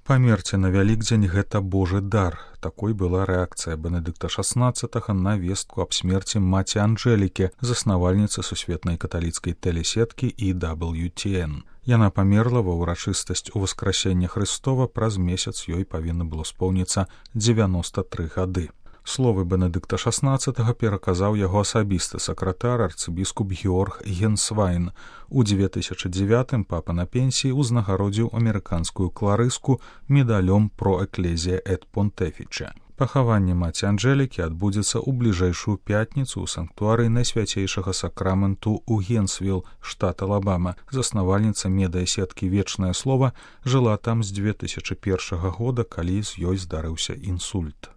Памерці на Вялікдзень гэта Божы дар. Такой была рэакцыя Бенедыкта XVI на вестку аб смерці маці Анджэлікі, заснавальніцы сусветнай каталіцкай тэлесеткі EWTN. Яна памерла ва ўрачыстасць Уваскрасення Хрыстова, праз месяц ёй павінна было споўніцца 93 гады. Словы Бенедыкта XVI пераказаў яго асабісты сакратар арцыбіскуп Георг Генсвайн. У 2009 папа на пенсіі узнагародзіў амерыканскую кларыску медалём про экклезія эт понтефіче. Пахаванне маці Анджэлікі адбудзецца ў бліжэйшую пятніцу ў санктуарыі Найсвяцейшага сакраменту ў Генсвілл, штат Алабама. Заснавальніца медыасеткі «Вечнае слова» жыла там з 2001 года, калі з ёй здарыўся інсульт.